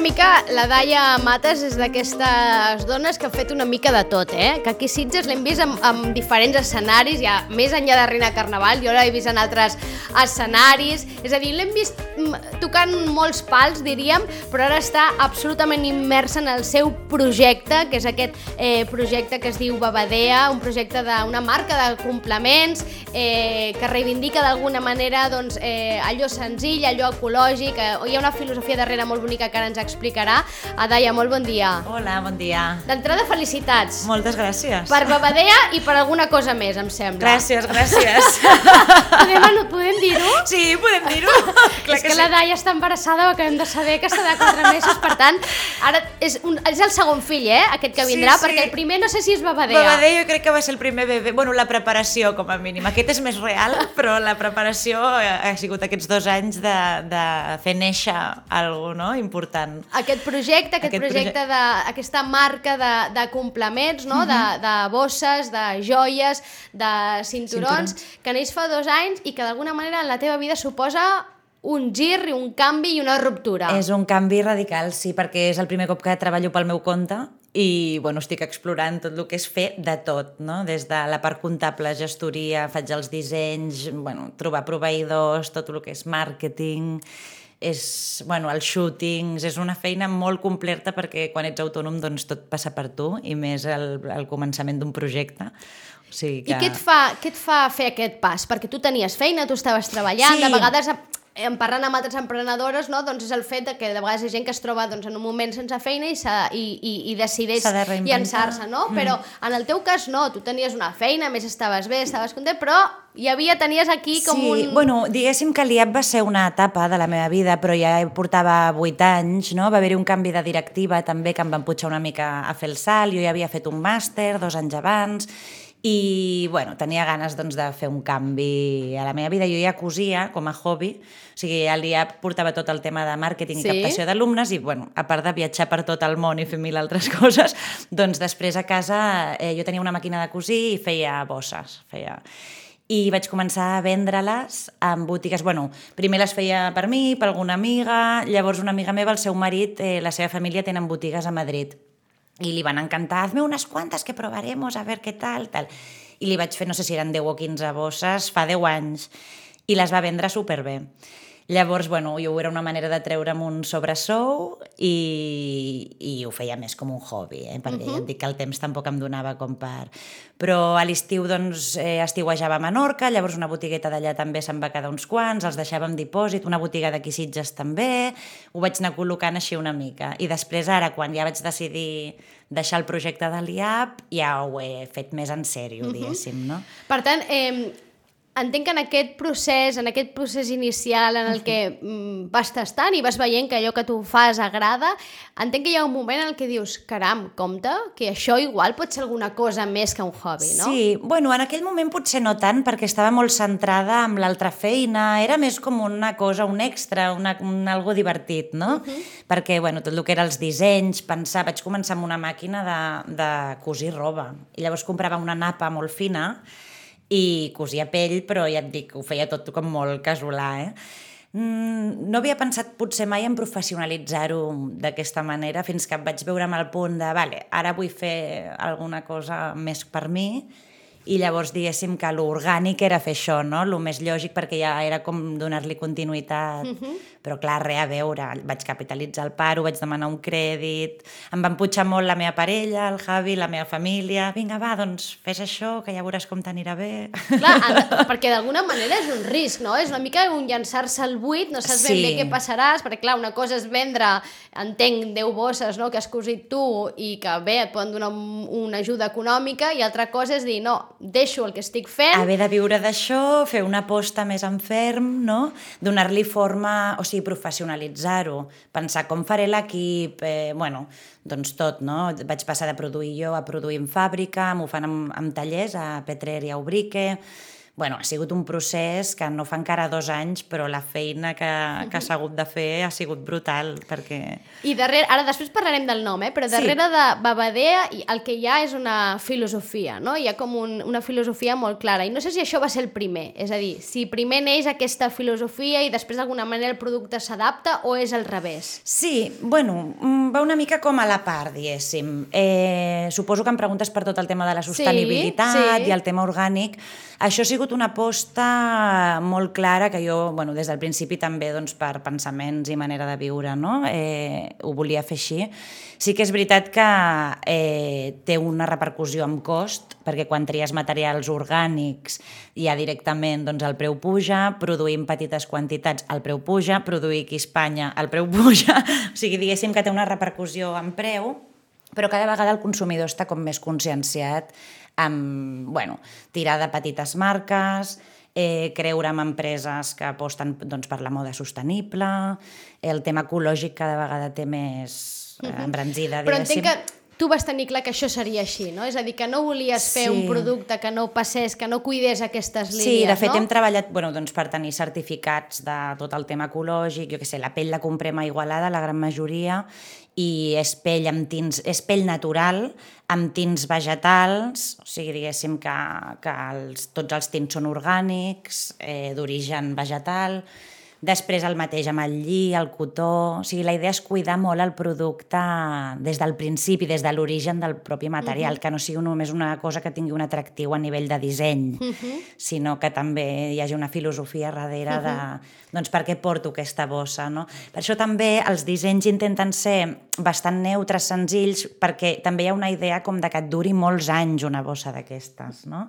mica, la Daia Matas és d'aquestes dones que han fet una mica de tot, que aquí a Sitges l'hem vist en diferents escenaris, ja més enllà de Reina Carnaval, jo l'he vist en altres escenaris, és a dir, l'hem vist tocant molts pals, diríem, però ara està absolutament immersa en el seu projecte, que és aquest projecte que es diu Babadea, un projecte d'una marca de complements que reivindica d'alguna manera allò senzill, allò ecològic, hi ha una filosofia darrere molt bonica que ara ens explicarà. Daia, molt bon dia. Hola, bon dia. D'entrada, felicitats. Moltes gràcies. Per Babadea i per alguna cosa més, em sembla. Gràcies. Podem dir-ho? Sí, podem dir-ho. És que la Daia està embarassada, ho acabem de saber, que està de 4 mesos, per tant, ara és el segon fill, aquest que vindrà, perquè el primer no sé si és Babadea. Babadea jo crec que va ser el primer bebè, bueno, la preparació com a mínim. Aquest és més real, però la preparació ha sigut aquests 2 anys de fer néixer alguna cosa important. Aquest projecte aquesta marca de complements, no? De bosses, de joies, de cinturons, que neix fa 2 anys i que d'alguna manera en la teva vida suposa un gir, un canvi i una ruptura. És un canvi radical, sí, perquè és el primer cop que treballo pel meu compte i estic explorant tot el que és fer de tot, no? Des de la part comptable, gestoria, faig els dissenys, trobar proveïdors, tot el que és màrqueting, els shootings, és una feina molt completa perquè quan ets autònom tot passa per tu i més al començament d'un projecte. O sigui que... I què et fa fer aquest pas? Perquè tu tenies feina, tu estaves treballant, sí. De vegades parlant amb altres emprenedores, no? És el fet que de vegades hi ha gent que es troba en un moment sense feina i decideix llançar-se, no? Però en el teu cas no, tu tenies una feina, més estaves bé, estaves content, però tenies aquí com un... Sí, diguéssim que l'IAP va ser una etapa de la meva vida, però ja portava 8 anys, no? Va haver-hi un canvi de directiva també que em van pujar una mica a fer el salt, jo ja havia fet un màster 2 anys abans, i tenia ganes de fer un canvi a la meva vida. Jo ja cosia com a hobby, o sigui, ja portava tot el tema de màrqueting i captació d'alumnes i, a part de viatjar per tot el món i fer 1000 altres coses, després a casa jo tenia una màquina de cosir i feia bosses, i vaig començar a vendre-les en botigues. Primer les feia per mi, per alguna amiga, llavors una amiga meva, el seu marit, la seva família tenen botigues a Madrid. I li van encantar, hazme unes quantes que probaremos, a ver qué tal. I li vaig fer, no sé si eren 10 o 15 bosses, fa 10 anys, i les va vendre superbé. Llavors, jo era una manera de treure'm un sobresou i ho feia més com un hobby, perquè ja et dic que el temps tampoc em donava com per... Però a l'estiu, estiuejava a Menorca, llavors una botigueta d'allà també se'n va quedar uns quants, els deixava en dipòsit, una botiga d'aquí Sitges també, ho vaig anar col·locant així una mica. I després ara, quan ja vaig decidir deixar el projecte de l'IAP, ja ho he fet més en sèrio, diguéssim, no? Per tant, entenc que en aquest procés inicial en el que vas tastant i vas veient que allò que tu fas agrada, entenc que hi ha un moment en el que dius, caram, compte, que això igual pot ser alguna cosa més que un hobby, no? Sí, en aquell moment potser no tant, perquè estava molt centrada en l'altra feina, era més com una cosa, un extra, algo divertit, no? Perquè, tot el que era els dissenys, vaig començar amb una màquina de cosir roba, i llavors comprava una napa molt fina, i cosia pell, però ja et dic, ho feia tot com molt casolà, No havia pensat potser mai en professionalitzar-ho d'aquesta manera, fins que em vaig veure amb el punt de, ara vull fer alguna cosa més per mi, i llavors diguéssim que l'orgànic era fer això, no? El més lògic, perquè ja era com donar-li continuïtat, però clar, res a veure, vaig capitalitzar el paro, vaig demanar un crèdit, em van pujar molt la meva parella, el Javi, la meva família, vinga va, fes això, que ja veuràs com t'anirà bé. Clar, perquè d'alguna manera és un risc, no? És una mica un llançar-se al buit, no saps ben bé què passaràs, perquè clar, una cosa és vendre, entenc, 10 bosses, no?, que has cosit tu i que bé, et poden donar una ajuda econòmica, i altra cosa és dir, no, deixo el que estic fent... Haver de viure d'això, fer una aposta més en ferm, no? Donar-li forma, o sigui, professionalitzar-ho, pensar com faré l'equip, tot, no? Vaig passar de produir jo a produir en fàbrica, m'ho fan amb tallers, a Petrer i a Ubrique... bueno, ha sigut un procés que no fa encara 2 anys, però la feina que s'ha hagut de fer ha sigut brutal, perquè... I darrere, ara després parlarem del nom, però darrere de Babadea el que hi ha és una filosofia, no? Hi ha com una filosofia molt clara, i no sé si això va ser el primer, és a dir, si primer neix aquesta filosofia i després d'alguna manera el producte s'adapta o és al revés? Sí, bueno, va una mica com a la part, diguéssim. Suposo que em preguntes per tot el tema de la sostenibilitat i el tema orgànic. Això ha sigut una aposta molt clara que jo, bueno, des del principi també doncs, per pensaments i manera de viure, no? Ho volia fer així. Sí que és veritat que té una repercussió en cost, perquè quan tries materials orgànics ja directament doncs, el preu puja, produir en petites quantitats el preu puja, produir aquí a Espanya el preu puja, o sigui, diguéssim que té una repercussió en preu, però cada vegada el consumidor està com més conscienciat amb, bueno, tirar de petites marques, creure en empreses que aposten doncs, per la moda sostenible, el tema ecològic cada vegada té més embranzida, diguéssim. Però entenc que tu vas tenir clar que això seria així, no? És a dir, que no volies fer un producte que no passés, que no cuidés aquestes línies, no? Sí, de fet hem treballat doncs, per tenir certificats de tot el tema ecològic, jo què sé, la pell la comprem a Igualada, la gran majoria, i és pell amb tints, és pell natural, amb tints vegetals, o sigui, diguéssim que tots els tints són orgànics, d'origen vegetal. Després el mateix amb el lli, el cotó... O sigui, la idea és cuidar molt el producte des del principi, des de l'origen del propi material, que no sigui només una cosa que tingui un atractiu a nivell de disseny, sinó que també hi hagi una filosofia darrere de... Doncs per què porto aquesta bossa, no? Per això també els dissenys intenten ser bastant neutres, senzills, perquè també hi ha una idea com de que et duri molts anys una bossa d'aquestes, no?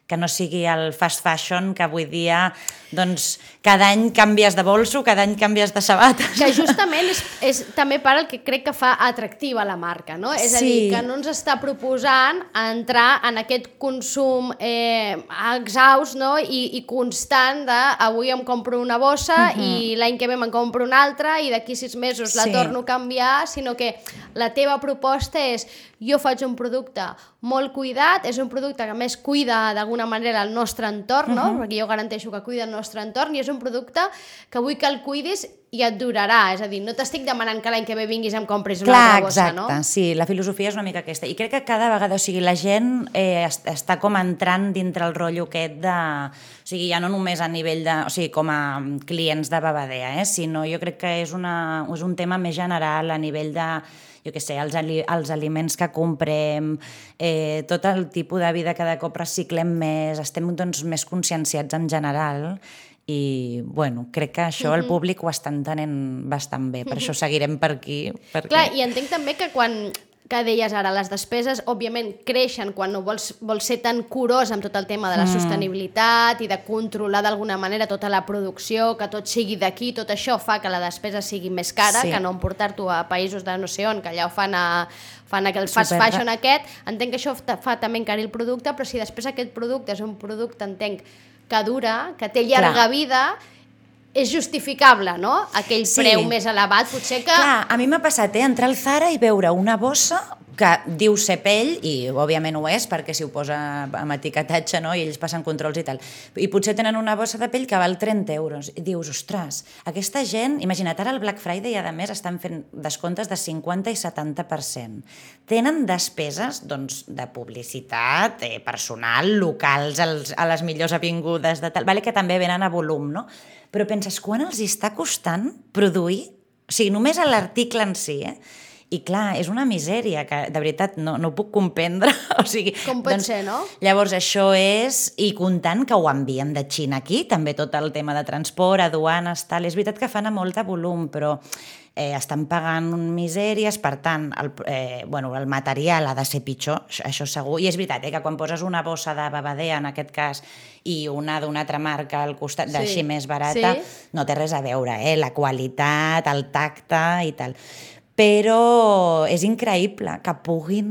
Que no sigui el fast fashion, que avui dia doncs, cada any canvies de bolso, cada any canvies de sabates. Que justament és també part el que crec que fa atractiva la marca, no? És a dir, que no ens està proposant entrar en aquest consum exhaust, no? I constant de avui em compro una bossa i l'any que ve me'n compro una altra i d'aquí 6 mesos la torno a canviar, sinó que la teva proposta és jo faig un producte molt cuidat, és un producte que més cuida d'alguna manera el nostre entorn, no? Perquè jo garanteixo que cuida el nostre entorn i és un producte que vull que el cuidis i et durarà, és a dir, no t'estic demanant que l'any que ve vinguis i em compris una altra bossa, no? Exacte, sí, la filosofia és una mica aquesta. I crec que cada vegada, o sigui, la gent està com entrant dintre el rotllo aquest de... O sigui, ja no només a nivell de... O sigui, com a clients de Babadea, sinó jo crec que és un tema més general a nivell de... jo què sé, els aliments que comprem, tot el tipus de vida cada cop reciclem més, estem doncs, més conscienciats en general i, bueno, crec que això el públic ho està entenent bastant bé, per això seguirem per aquí. Perquè... Clar, i entenc també que quan... que deies ara, les despeses òbviament creixen quan no vols ser tan curós amb tot el tema de la sostenibilitat i de controlar d'alguna manera tota la producció, que tot sigui d'aquí, tot això fa que la despesa sigui més cara, que no emportar-t'ho a països de no sé on, que allà ho fan aquell fast fashion aquest. Entenc que això fa també encarir el producte, però si després aquest producte és un producte, entenc, que dura, que té llarga vida, és justificable, no? Aquell preu més elevat, potser que... Clar, a mi m'ha passat, entrar al Zara i veure una bossa que diu ser pell, i òbviament ho és, perquè si ho posa amb etiquetatge, no? I ells passen controls i tal. I potser tenen una bossa de pell que val 30 euros. I dius, ostres, aquesta gent... Imagina't, ara el Black Friday, a més, estan fent descomptes de 50 i 70%. Tenen despeses, doncs, de publicitat, personal, locals, a les millors avingudes, de tal, vale, que també venen a volum, no? Però penses, quan els està costant produir? O sigui, només a l'article en si, I clar, és una misèria que de veritat no ho puc comprendre. O sigui, com pot ser, no? Llavors això és, i comptant que ho envien de Xina aquí, també tot el tema de transport, aduanes, tal, és veritat que fan a molt de volum, però estan pagant misèries, per tant, el material ha de ser pitjor, això segur, i és veritat que quan poses una bossa de Babadea, en aquest cas, i una d'una altra marca al costat, d'així més barata, no té res a veure, la qualitat, el tacte i tal. però és increïble que puguin,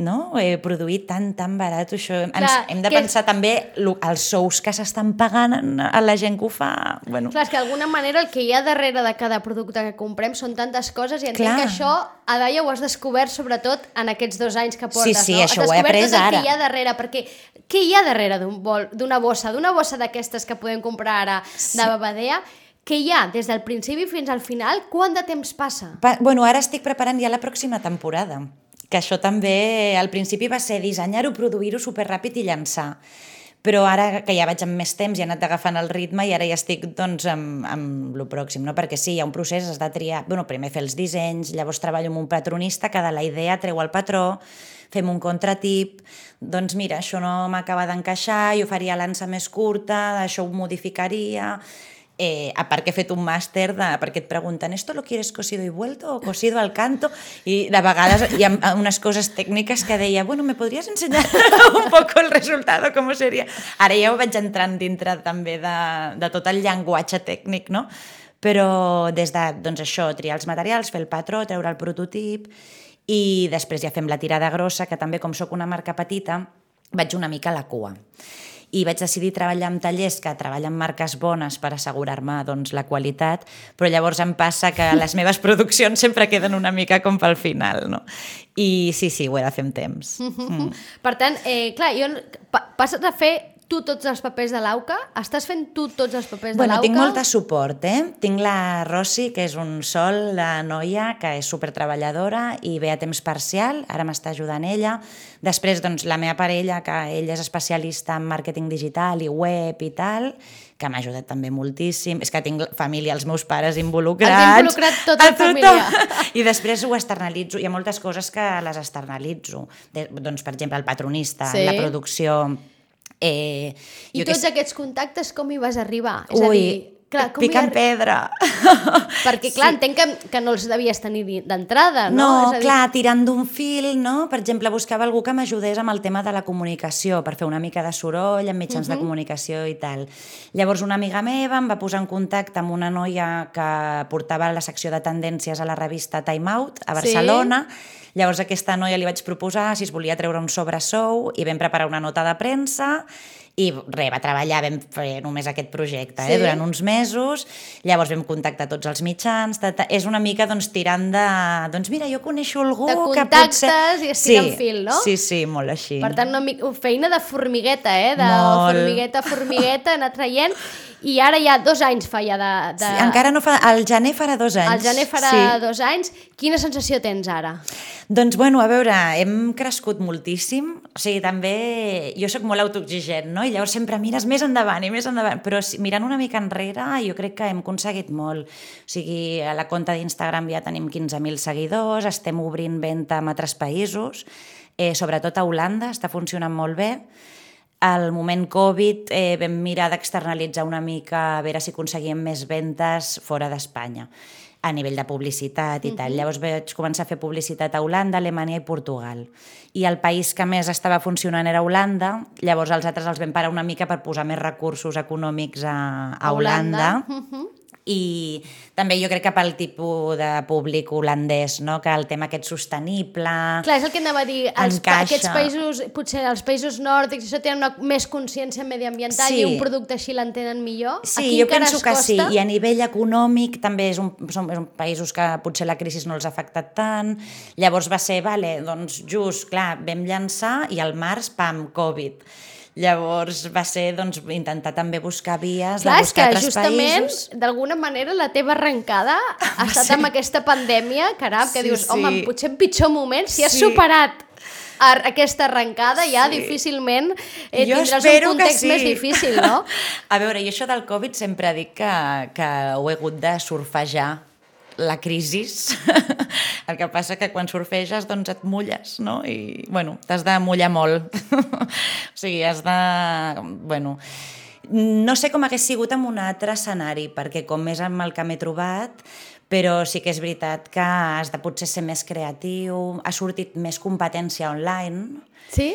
no? Produir tan barat. Això. Hem de pensar també els sous que s'estan pagant a la gent que ho fa. Bueno. Clar, és que d'alguna manera el que hi ha darrere de cada producte que comprem són tantes coses i entenc que això, a Daia, ho has descobert sobretot en aquests 2 anys que portes, sí, no? Això ho he après ara. Què hi ha darrere, perquè què hi ha darrere d'una bossa d'aquestes que podem comprar ara de Babadea? Què hi ha des del principi fins al final? Quant de temps passa? Bueno, ara estic preparant ja la pròxima temporada, que això també al principi va ser dissenyar-ho, produir-ho superràpid i llançar. Però ara que ja vaig amb més temps i he anat agafant el ritme i ara ja estic doncs, amb lo pròxim, no? Perquè sí, hi ha un procés, has de triar, primer fer els dissenys, llavors treballo amb un patronista que de la idea treu el patró, fem un contratip, doncs mira, això no m'acaba d'encaixar, jo faria l'ansa més curta, això ho modificaria. A part que he fet un màster perquè et pregunten ¿esto lo quieres cosido y vuelto o cosido al canto? I de vegades hi ha unes coses tècniques que deia bueno, ¿me podries ensenyar un poco el resultado? Com seria? Ara ja ho vaig entrant dintre també de tot el llenguatge tècnic, no? Però des de, doncs això, triar els materials, fer el patró, treure el prototip i després ja fem la tirada grossa, que també com sóc una marca petita, vaig una mica a la cua. I vaig decidir treballar amb tallers que treballen marques bones per assegurar-me doncs, la qualitat, però llavors em passa que les meves produccions sempre queden una mica com pel final, no? I sí, ho he de fer amb temps. Per tant, clar, passes a fer tu tots els papers de l'AUCA? Estàs fent tu tots els papers de l'AUCA? Tinc molt de suport, Tinc la Rossi, que és un sol, la noia, que és supertreballadora i ve a temps parcial, ara m'està ajudant ella. Després, doncs, la meva parella, que ella és especialista en màrqueting digital i web i tal, que m'ha ajudat també moltíssim. És que tinc família, els meus pares involucrats. Has involucrat tota la família. I després ho externalitzo. Hi ha moltes coses que les externalitzo. Doncs, per exemple, el patronista, la producció. I tots aquests contactes com hi vas arribar? És a dir, clar, picant pedra. Perquè, clar, entenc que no els devies tenir d'entrada, no? No, clar, tirant d'un fil, no? Per exemple, buscava algú que m'ajudés amb el tema de la comunicació, per fer una mica de soroll amb mitjans de comunicació i tal. Llavors, una amiga meva em va posar en contacte amb una noia que portava la secció de tendències a la revista Time Out, a Barcelona. Llavors, a aquesta noia li vaig proposar si es volia treure un sobresou i vam preparar una nota de premsa i res, va treballar, vam fer només aquest projecte durant uns mesos, llavors vam contactar tots els mitjans, és una mica doncs, tirant de, doncs mira, jo coneixo algú que potser... De contactes i estirant fil, no? Sí, molt així. Per tant, feina de formigueta, de formigueta, anar traient, i ara ja 2 anys fa ja de... Sí, encara no fa... Al gener farà 2 anys. Al gener farà 2 anys. Quina sensació tens ara? Doncs, bueno, a veure, hem crescut moltíssim. O sigui, també... Jo sóc molt autoexigent, no? I llavors sempre mires més endavant i més endavant. Però mirant una mica enrere, jo crec que hem aconseguit molt. O sigui, a la compta d'Instagram ja tenim 15.000 seguidors, estem obrint venda en altres països, sobretot a Holanda, està funcionant molt bé. Al moment Covid vam mirar d'externalitzar una mica a veure si aconseguíem més ventes fora d'Espanya a nivell de publicitat i tal. Llavors vaig començar a fer publicitat a Holanda, Alemanya i Portugal. I el país que més estava funcionant era Holanda, llavors els altres els vam parar una mica per posar més recursos econòmics a Holanda. I també jo crec que pel tipus de públic holandès, no? Que el tema aquest sostenible... Clar, és el que anava a dir, aquests països, potser els països nòrdics, això tenen més consciència mediambiental i un producte així l'entenen millor? Sí, jo penso que sí, i a nivell econòmic també són països que potser la crisi no els ha afectat tant, llavors va ser, doncs just, clar, vam llançar i al març, pam, Covid. Llavors va ser intentar també buscar vies, de buscar altres països. Clar, és que justament, d'alguna manera, la teva arrencada ha estat amb aquesta pandèmia, caram, que dius, home, potser en pitjor moment, si has superat aquesta arrencada, ja difícilment tindràs un context més difícil, no? A veure, jo això del Covid sempre dic que ho he hagut de surfejar la crisi. El que passa que quan surfeges doncs et mulles, no? I, bueno, t'has de mullar molt. O sigui, has de... Bueno, no sé com hagués sigut en un altre escenari, perquè com és amb el que m'he trobat, però sí que és veritat que has de potser ser més creatiu, ha sortit més competència online. Sí?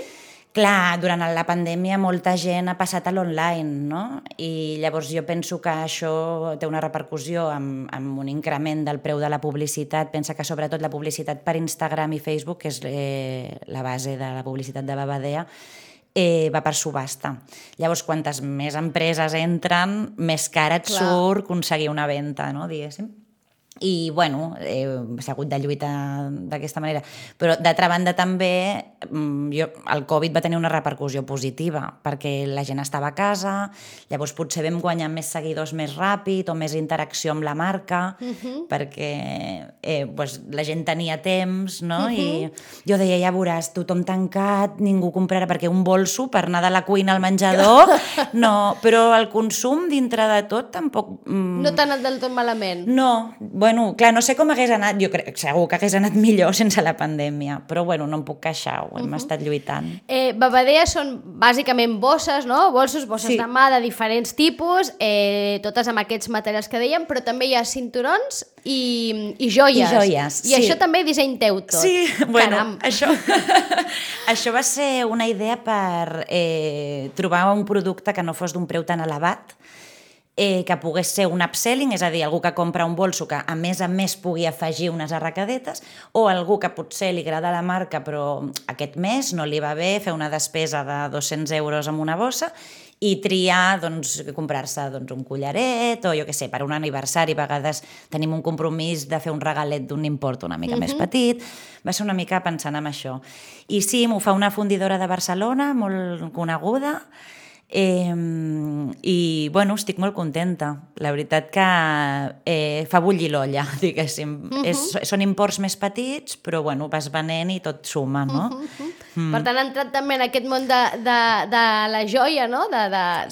Clar, durant la pandèmia molta gent ha passat a l'online, no? I llavors jo penso que això té una repercussió amb un increment del preu de la publicitat. Pensa que sobretot la publicitat per Instagram i Facebook, que és la base de la publicitat de Babadea, va per subhasta. Llavors, quantes més empreses entren, més cara et surt aconseguir una venda, no? Diguéssim. I, bueno, s'ha hagut de lluitar d'aquesta manera. Però, d'altra banda, també el Covid va tenir una repercussió positiva, perquè la gent estava a casa, llavors potser vam guanyar més seguidors més ràpid o més interacció amb la marca, perquè la gent tenia temps, no? I jo deia, ja veuràs, tothom tancat, ningú comprarà, perquè un bolso per anar de la cuina al menjador, no, però el consum dintre de tot tampoc... No t'ha anat del tot malament? No, bueno, clar, no sé com hagués anat, jo crec segur que hagués anat millor sense la pandèmia, però bueno, no em puc queixar, ho hem estat lluitant. Babadea són bàsicament bosses, no? Bosses de mà de diferents tipus, totes amb aquests materials que dèiem, però també hi ha cinturons i joies. I joies, I això també disseny teu tot. Sí, bueno, caram. Això va ser una idea per trobar un producte que no fos d'un preu tan elevat, que pogués ser un upselling, és a dir, algú que compra un bolso que a més pugui afegir unes arracadetes, o algú que potser li agrada la marca però aquest mes no li va bé fer una despesa de 200 euros amb una bossa i triar, doncs, comprar-se un collaret o jo què sé, per un aniversari a vegades tenim un compromís de fer un regalet d'un import una mica més petit, va ser una mica pensant en això. I sí, m'ho fa una fundidora de Barcelona molt coneguda, i bueno, estic molt contenta. La veritat que fa bullir l'olla, diguéssim. Són imports més petits, però bueno, vas venent i tot suma, no? Per tant, ha entrat també en aquest món de la joia, no?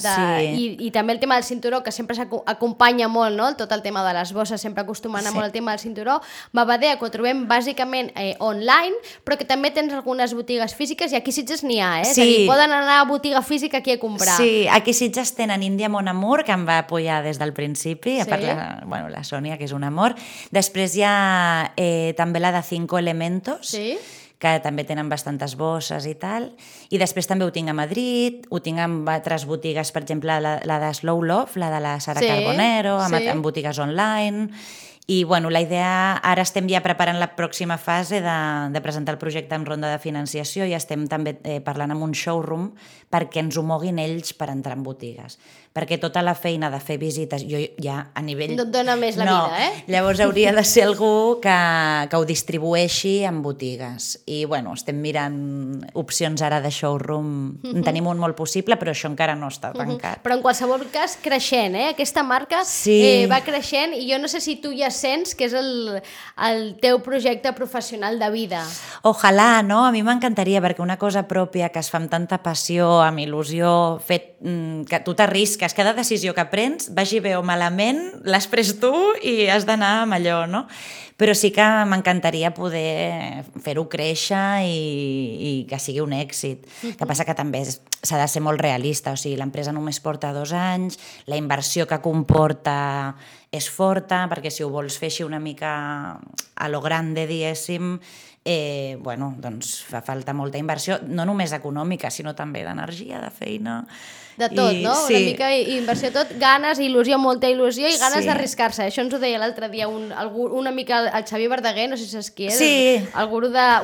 Sí. I també el tema del cinturó, que sempre s'acompanya molt, no? Tot el tema de les bosses, sempre acostumen a molt el tema del cinturó. Babadea, que ho trobem bàsicament online, però que també tens algunes botigues físiques, i aquí a Sitges n'hi ha, eh? És a dir, poden anar a botiga física aquí a comprar. Sí, aquí a Sitges tenen Índia Mon Amour, que em va apoyar des del principi, a part la Sònia, que és un amor. Després hi ha també la de 5 Elementos, que també tenen bastantes bosses i tal. I després també ho tinc a Madrid, ho tinc en altres botigues, per exemple, la de Slow Love, la de la Sara Carbonero, en botigues online. I bueno, la idea, ara estem ja preparant la pròxima fase de presentar el projecte en ronda de financiació i estem també parlant amb un showroom perquè ens ho moguin ells per entrar en botigues. Perquè tota la feina de fer visites, jo ja a nivell... No et dona més la vida, eh? Llavors hauria de ser algú que ho distribueixi en botigues. I bueno, estem mirant opcions ara de showroom. En tenim un molt possible, però això encara no està tancat. Però en qualsevol cas, creixent, eh? Aquesta marca va creixent i jo no sé si tu ja sents que és el teu projecte professional de vida. Ojalà, no? A mi m'encantaria, perquè una cosa pròpia que es fa amb tanta passió, amb il·lusió, que tu t'arrisques, cada decisió que prens, vagi bé o malament, l'has pres tu i has d'anar amb allò, no? Però sí que m'encantaria poder fer-ho créixer i que sigui un èxit. El que passa que també s'ha de ser molt realista, o sigui, l'empresa només porta 2 anys, la inversió que comporta és forta, perquè si ho vols fer així una mica a lo grande, diguéssim, bueno, doncs fa falta molta inversió, no només econòmica, sinó també d'energia, de feina... De tot, no? Una mica inversió tot, ganes, il·lusió, molta il·lusió i ganes d'arriscar-se. Això ens ho deia l'altre dia una mica el Xavier Verdaguer, no sé si saps qui és,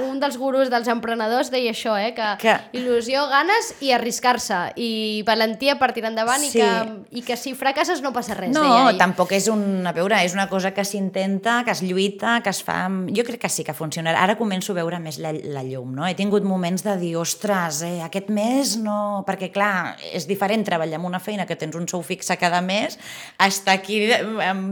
un dels gurus dels emprenedors deia això, que il·lusió, ganes i arriscar-se, i valentia per tirar endavant, i que si fracasses no passa res. No, tampoc és és una cosa que s'intenta, que es lluita, que es fa... Jo crec que sí que funcionarà. Ara començo a veure més la llum, no? He tingut moments de dir, ostres, aquest mes no... Perquè, clar, és diferent treballar en una feina que tens un sou fixe cada mes, estar aquí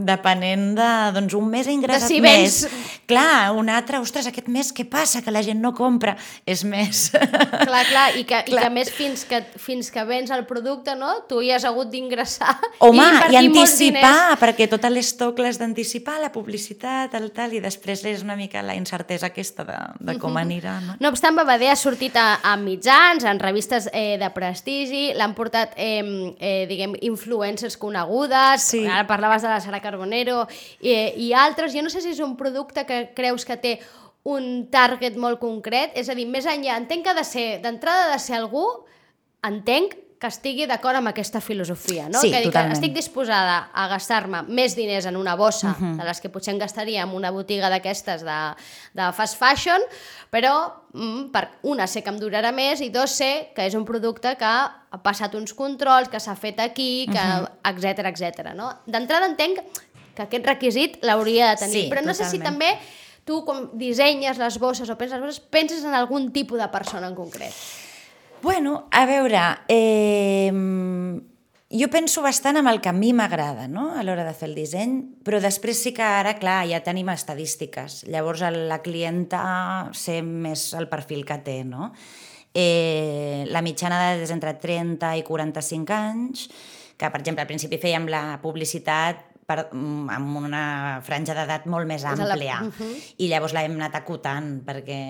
depenent de, un mes he ingressat més. Clar, un altre, ostres, aquest mes què passa? Que la gent no compra. És més. Clar, i que a més fins que vens el producte, no? Tu hi has hagut d'ingressar i anticipar, perquè tot l'estoc l'has d'anticipar, la publicitat, i després és una mica la incertesa aquesta de com anirà. No obstant, Babadea ha sortit a mitjans, en revistes de prestigi, l'han portat influencers conegudes, ara parlaves de la Sara Carbonero i altres. Jo no sé si és un producte que creus que té un target molt concret, és a dir, més enllà, entenc que d'entrada de ser algú, entenc que estigui d'acord amb aquesta filosofia, no? Sí, que totalment. estic disposada a gastar-me més diners en una bossa de les que potser em gastaria en una botiga d'aquestes de fast fashion, però sé que em durarà més i dos, sé que és un producte que ha passat uns controls, que s'ha fet aquí, etcètera, no? D'entrada entenc que aquest requisit l'hauria de tenir, Sí, però no sé si també tu, quan dissenyes les bosses o penses les bosses, penses en algun tipus de persona en concret. Bueno, a veure, jo penso bastant en el que a mi m'agrada, no?, a l'hora de fer el disseny, però després sí que ara, clar, ja tenim estadístiques. Llavors la clienta sé més el perfil que té, no? La mitjana d'edat és entre 30 i 45 anys, que, per exemple, al principi fèiem la publicitat amb una franja d'edat molt més àmplia, i llavors l'hem anat acotant, perquè...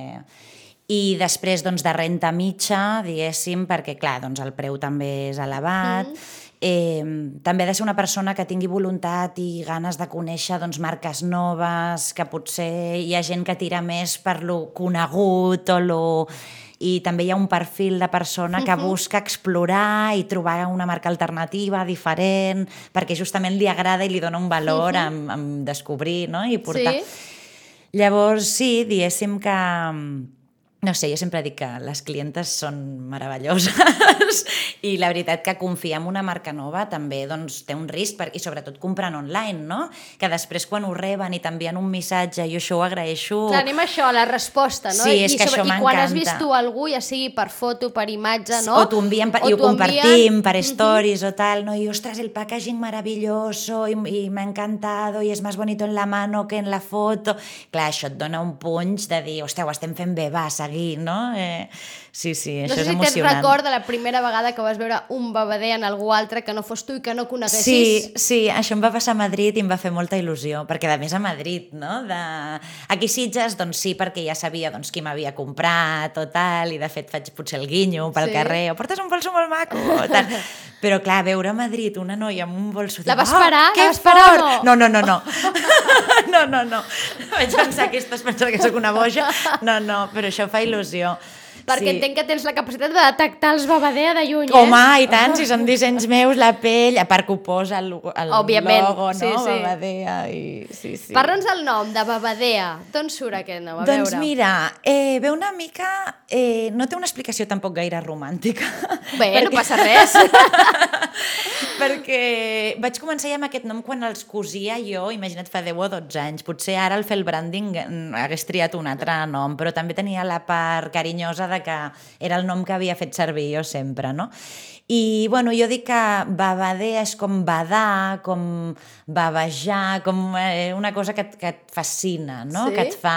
I després, doncs, de renta mitja, diguéssim, perquè, clar, doncs, el preu també és elevat. També ha de ser una persona que tingui voluntat i ganes de conèixer, doncs, marques noves, que potser hi ha gent que tira més per lo conegut o lo... I també hi ha un perfil de persona que busca explorar i trobar una marca alternativa, diferent, perquè justament li agrada i li dona un valor en descobrir, no?, i portar... Sí. Llavors, sí, diguéssim que... No sé, jo sempre dic que les clientes són meravelloses i la veritat que confiar en una marca nova també, doncs, té un risc, i sobretot comprant online, no? Que després quan ho reben i t'envien un missatge, jo això ho agraeixo... Clar, anem a això, a la resposta, no? Sí, és que això m'encanta. I quan has vist tu algú, ja sigui per foto, per imatge, no? O t'ho envien i ho compartim per stories o tal, no? I, ostres, el packaging maravilloso y me ha encantado y es más bonito en la mano que en la foto. Clar, això et dona un punx de dir, hòstia, ho estem fent bé, va, seguir, no? Sí, això és emocionant. No sé si tens record de la primera vegada que vas veure un babader en algú altre que no fos tu i que no coneguessis. Sí, això em va passar a Madrid i em va fer molta il·lusió, perquè a més a Madrid, no? Aquí a Sitges, doncs sí, perquè ja sabia doncs, qui m'havia comprat o tal, i de fet faig potser el guinyo pel carrer, o portes un bolso molt maco, o tal. Però clar, veure a Madrid una noia amb un bolso... La vas parar? Que fort! No. No. Vaig pensar que estàs pensant que sóc una boja. No, però això fa il·lusió. Perquè entenc que tens la capacitat de detectar els babadea de lluny, Home, i tant, si són dissenys meus, la pell, a part que ho posa el logo, no? Sí. Babadea i... Sí. Parla'ns del nom, de babadea. D'on surt aquest nom? A doncs veure. Mira, ve una mica... no té una explicació tampoc gaire romàntica. Bé, no passa res. Perquè vaig començar ja amb aquest nom quan els cosia jo, imagina't, fa 10 o 12 anys. Potser ara al fer el branding hagués triat un altre nom, però també tenia la part carinyosa de que era el nom que havia fet servir jo sempre, no? I, bueno, jo dic que babadea és com badar, com bavejar, com una cosa que et fascina, no? Sí? Que et fa...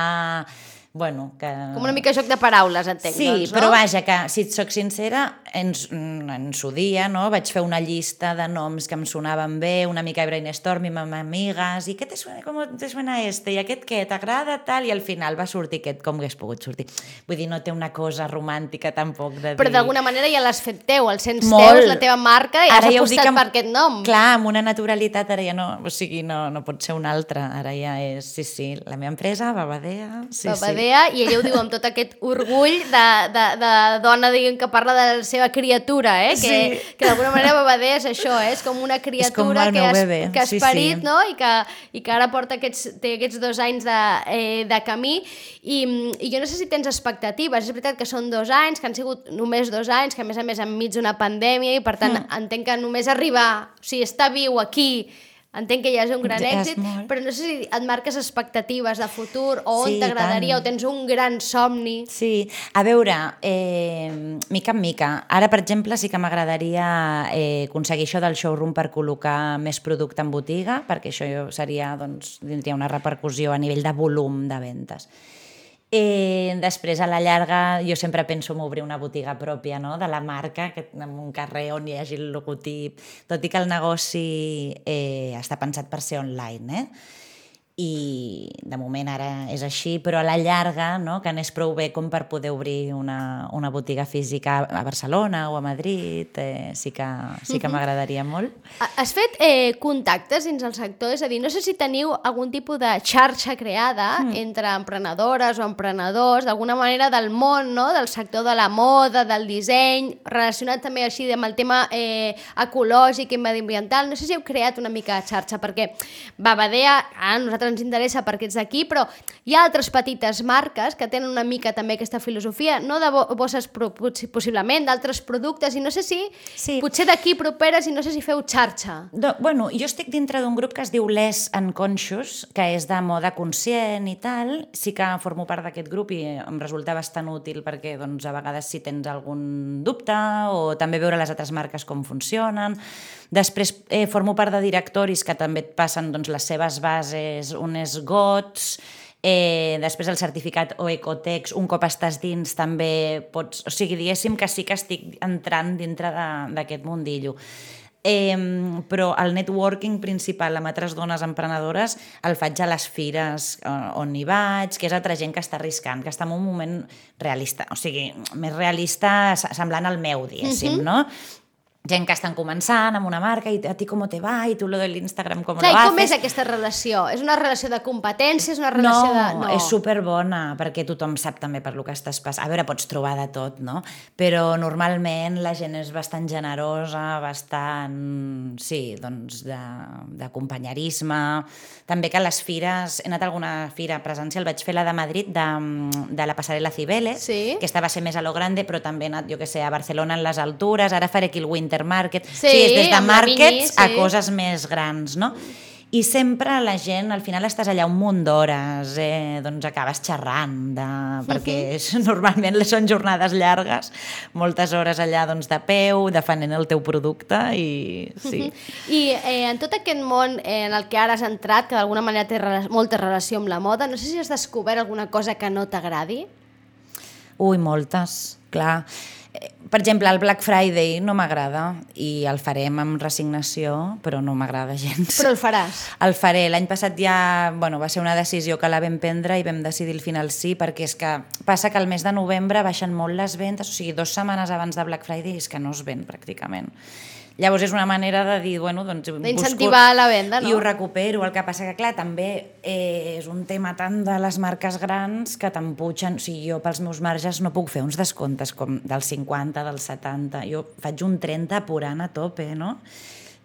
Bueno, que... Com una mica joc de paraules, entenc, sí, doncs, no? Però vaja, que si et soc sincera, en su dia, no? Vaig fer una llista de noms que em sonaven bé, una mica de brainstorming amb amigues, i què te suena, com te suena este? I aquest què? T'agrada? Tal? I al final va sortir aquest com hagués pogut sortir. Vull dir, no té una cosa romàntica tampoc de dir... Però d'alguna manera ja l'has fet teu, el sents Molt. teu, és la teva marca, i has apostat per aquest nom. Clar, amb una naturalitat ara ja no... O sigui, no pot ser una altra. Ara ja és... Sí, la meva empresa, Babadea... Babadea, i ella ho diu amb tot aquest orgull de dona, diguem, que parla de la seva criatura, que d'alguna manera Babadea és això, és com una criatura que has parit, no? I que ara porta té aquests 2 anys de camí, i jo no sé si tens expectatives. És veritat que són 2 anys, que han sigut només 2 anys, que a més enmig d'una pandèmia, i per tant entenc que només arribar, o sigui, estar viu aquí, entenc que ja és un gran èxit, però no sé si et marques expectatives de futur o on t'agradaria, o tens un gran somni. Sí, a veure, mica en mica. Ara, per exemple, sí que m'agradaria aconseguir això del showroom per col·locar més producte en botiga, perquè això seria, doncs, tindria una repercussió a nivell de volum de ventes. Després, a la llarga, jo sempre penso en obrir una botiga pròpia, no?, de la marca, en un carrer on hi hagi el logotip, tot i que el negoci està pensat per ser online, i de moment ara és així, però a la llarga, no? Que anés prou bé com per poder obrir una botiga física a Barcelona o a Madrid, sí que m'agradaria molt. Has fet contactes dins el sector? És a dir, no sé si teniu algun tipus de xarxa creada entre emprenedores o emprenedors, d'alguna manera del món, no? Del sector de la moda, del disseny, relacionat també així amb el tema ecològic i mediambiental. No sé si heu creat una mica de xarxa, perquè Babadea, a nosaltres ens interessa perquè ets d'aquí, però hi ha altres petites marques que tenen una mica també aquesta filosofia, no de bosses possiblement, d'altres productes, i no sé si potser d'aquí properes i no sé si feu xarxa. Bueno, jo estic dintre d'un grup que es diu Less Unconscious, que és de moda conscient i tal. Sí que formo part d'aquest grup i em resulta bastant útil perquè doncs, a vegades si tens algun dubte o també veure les altres marques com funcionen. Després formo part de directoris que també et passen doncs, les seves bases, unes GOTS, després el certificat o Ecotex, un cop estàs dins també pots... O sigui, diguéssim que sí que estic entrant dintre d'aquest mundillo. Però el networking principal amb altres dones emprenedores el faig a les fires on hi vaig, que és altra gent que està arriscant, que està en un moment realista, o sigui, més realista semblant al meu, diguéssim, no? Gent que estan començant amb una marca i a ti com te va i tu lo de l'Instagram com lo haces. Com és aquesta relació? És una relació de competència? És una relació no, és superbona perquè tothom sap també per lo que estàs passant. A veure, pots trobar de tot, no? Però normalment la gent és bastant generosa, bastant, sí, doncs de companyerisme. També que a les fires, he anat a alguna fira presencial, vaig fer la de Madrid de la passarel·la Cibeles, que esta va ser més a lo grande, però també he anat, jo que sé, a Barcelona en les altures, ara faré aquí el Winter Market, és des de markets a coses més grans, no? I sempre la gent, al final estàs allà un munt d'hores, doncs acabes xerrant, perquè normalment són jornades llargues, moltes hores allà doncs, de peu, defendent el teu producte i sí. I en tot aquest món en el que ara has entrat, que d'alguna manera té molta relació amb la moda, no sé si has descobert alguna cosa que no t'agradi? Ui, moltes, clar. Per exemple, el Black Friday no m'agrada i el farem amb resignació, però no m'agrada gens. Però el faràs? El faré. L'any passat ja va ser una decisió que la vam prendre i vam decidir al final sí, perquè és que passa que al mes de novembre baixen molt les ventes, o sigui, 2 setmanes abans de Black Friday és que no es ven pràcticament. Llavors és una manera de dir, bueno, doncs... D'incentivar la venda, no? I ho recupero. El que passa que, clar, també és un tema tant de les marques grans que t'empuixen... O sigui, jo pels meus marges no puc fer uns descomptes com del 50, del 70... Jo faig un 30 apurant a tope, no?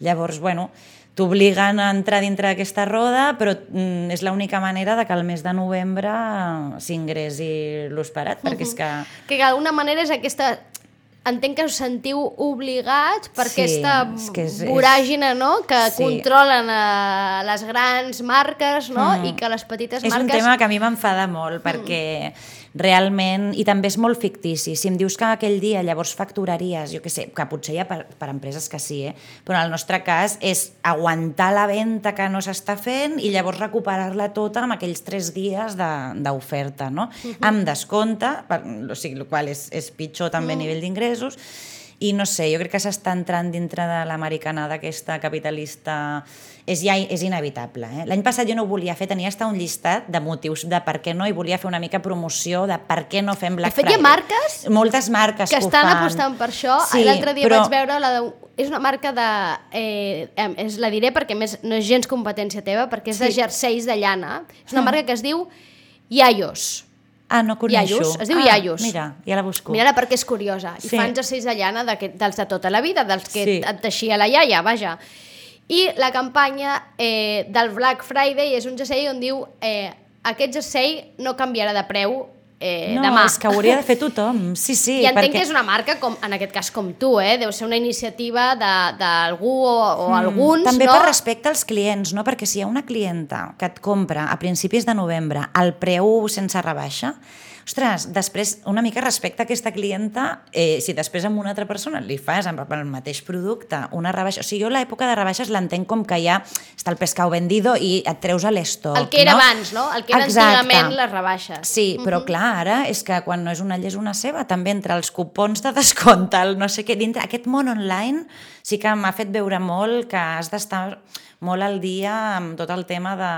Llavors, bueno, t'obliguen a entrar dintre d'aquesta roda, però és l'única manera de que al mes de novembre s'ingressi l'esperat, perquè és que... Que d'alguna manera és aquesta... Entenc que us sentiu obligats per aquesta voràgina, no? Que controlen les grans marques, no? I que les petites marques... És un tema que a mi m'enfada molt, perquè realment... I també és molt fictici. Si em dius que aquell dia llavors facturaries, jo què sé, que potser hi ha per empreses que sí, però en el nostre cas és aguantar la venda que no s'està fent i llavors recuperar-la tota en aquells 3 dies d'oferta, no? Amb descompte, o sigui, el qual és pitjor també a nivell d'ingressos, i no sé, jo crec que s'està entrant dintre de l'americanada aquesta capitalista, és inevitable. L'any passat jo no ho volia fer, tenia un llistat de motius de per què no, i volia fer una mica promoció de per què no fem Black Friday. De fet, hi ha marques? Moltes marques que estan apostant per això. Sí, l'altre dia vaig veure és una marca de... la diré perquè més no és gens competència teva, perquè és de jerseis de llana. És una marca que es diu Yayos. Ah, no coneixo. Yayos, es diu Yayos. Mira, ja la busco. Mira-la perquè és curiosa. I fan jerseis de llana dels de tota la vida, dels que et teixia la iaia, vaja. I la campanya del Black Friday és un jersei on diu aquest jersei no canviarà de preu demà. No, és que ho hauria de fer tothom. Sí. I entenc que és una marca, en aquest cas com tu, deu ser una iniciativa d'algú o alguns, també no? Per respecte als clients, no? Perquè si hi ha una clienta que et compra a principis de novembre al preu sense rebaixa, o ostres, després una mica respecte a aquesta clienta, si després amb una altra persona li fas amb el mateix producte una rebaixa, o sigui, jo l'època de rebaixes l'entenc com que ja està el pescau vendido i et treus a l'estoc. El que era abans, no? El que era antigament les rebaixes. Sí, però clar, ara és que quan no és una llei és una ceba, també entre els cupons de descompte, el no sé què, dintre aquest món online sí que m'ha fet veure molt que has d'estar molt al dia amb tot el tema de...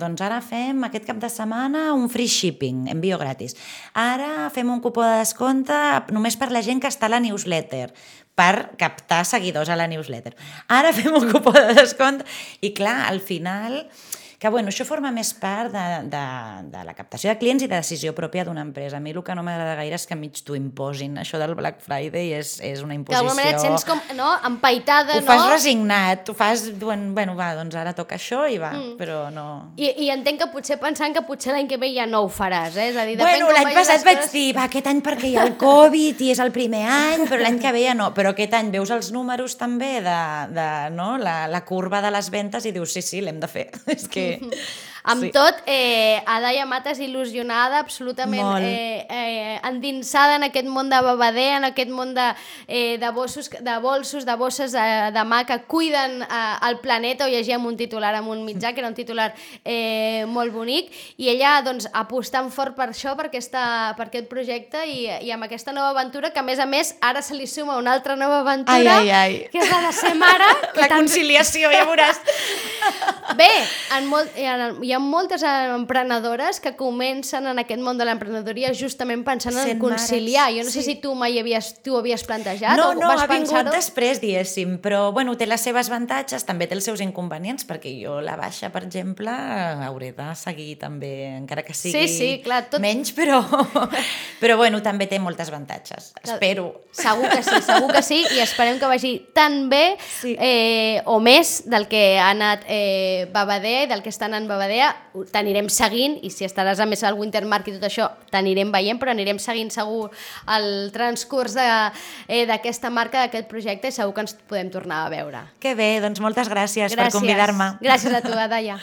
Doncs ara fem aquest cap de setmana un free shipping, envio gratis. Ara fem un cupó de descompte només per la gent que està a la newsletter, per captar seguidors a la newsletter. Ara fem un cupó de descompte i clar, al final... Que bueno, això forma més part de la captació de clients i de decisió pròpia d'una empresa. A mi el que no m'agrada gaire és que mig t'ho imposin. Això del Black Friday és una imposició... Que d'alguna manera et sents com, no?, empaitada, no? Ho fas resignat, ho fas... Bueno, va, doncs ara toca això i va, però no... I entenc que potser pensant que potser l'any que ve ja no ho faràs, És a dir, bueno, l'any passat vaig dir, va, aquest any perquè hi ha el Covid i és el primer any, però l'any que ve ja no. Però aquest any veus els números també de no? la curva de les ventes i dius, sí, l'hem de fer. És que... Amb tot, Adaia Matas il·lusionada, absolutament endinsada en aquest món de babader, en aquest món de bolsos, de bosses de mà que cuiden el planeta. Ho llegia en un titular, en un mitjà, que era un titular molt bonic, i ella doncs, apostant fort per això, per aquest projecte i amb aquesta nova aventura, que a més ara se li suma una altra nova aventura, que és la de ser mare. La conciliació, ja veuràs. Bé, hi ha moltes emprenedores que comencen en aquest món de l'emprenedoria justament pensant en conciliar. Jo no sé si tu mai ho havies plantejat o vas pensar-ho. No, ha vingut després, diguéssim, però bueno, té les seves avantatges, també té els seus inconvenients, perquè jo la baixa, per exemple, hauré de seguir també, encara que sigui menys, però bueno, també té moltes avantatges, espero. Segur que sí, i esperem que vagi tan bé o més del que ha anat Babadea i del que està anant Babadea. T'anirem seguint, i si estaràs a més al Winter Market i tot això, t'anirem veient, però anirem seguint segur el transcurs d'aquesta marca, d'aquest projecte, i segur que ens podem tornar a veure. Que bé, doncs moltes gràcies per convidar-me. Gràcies a tu, Adaia.